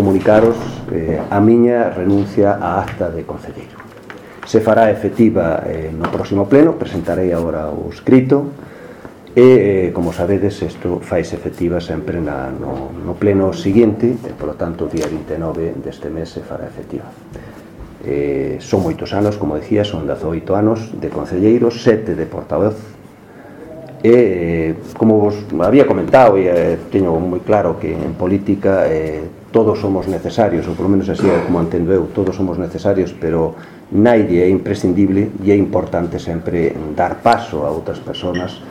comunicaros a miña renuncia á acta de concelleiro. Se fará efectiva no próximo pleno, presentarei agora o escrito, e, como sabedes, isto faise efectiva sempre no pleno seguinte, e, polo tanto, o día 29 deste mes se fará efectiva. Son moitos anos, como decía, son 18 anos de concelleiro, 7 de portavoz, e, como vos había comentado, e teño moi claro que en política todos somos necesarios, ou polo menos así é como entendo eu, todos somos necesarios, pero naide é imprescindible, e é importante sempre dar paso a outras persoas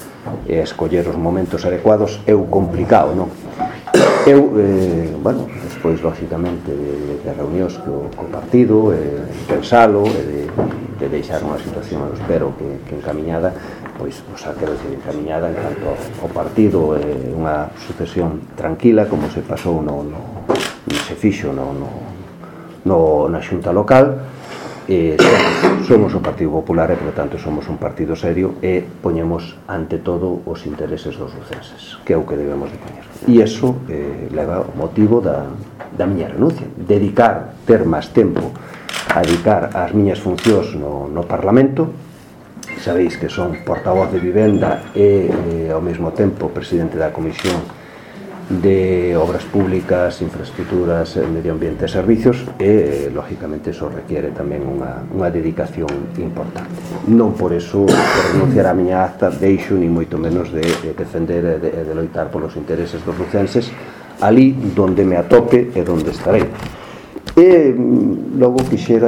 e escoller os momentos adecuados. É o complicado, non? Eu, despois, lógicamente, de reunións co partido, pensalo, de deixar unha situación, espero que encaminhada, pois, quero decir, encaminhada en canto ao partido, unha sucesión tranquila, como se pasou se fixo na xunta local. Somos o Partido Popular e, por tanto, somos un partido serio e poñemos ante todo os intereses dos lucenses, que é o que debemos de poñer. E iso leva o motivo da miña renuncia, ter máis tempo a dedicar ás miñas funcións no Parlamento. Sabéis que son portavoz de vivenda e, ao mesmo tempo, presidente da Comisión de Obras Públicas, Infraestructuras, Medio Ambiente e Servicios, e, lógicamente, eso requiere tamén unha dedicación importante. Non por eso, por renunciar á miña acta, deixo ni moito menos de defender e de loitar polos intereses dos lucenses ali donde me atope e donde estarei. E logo quixera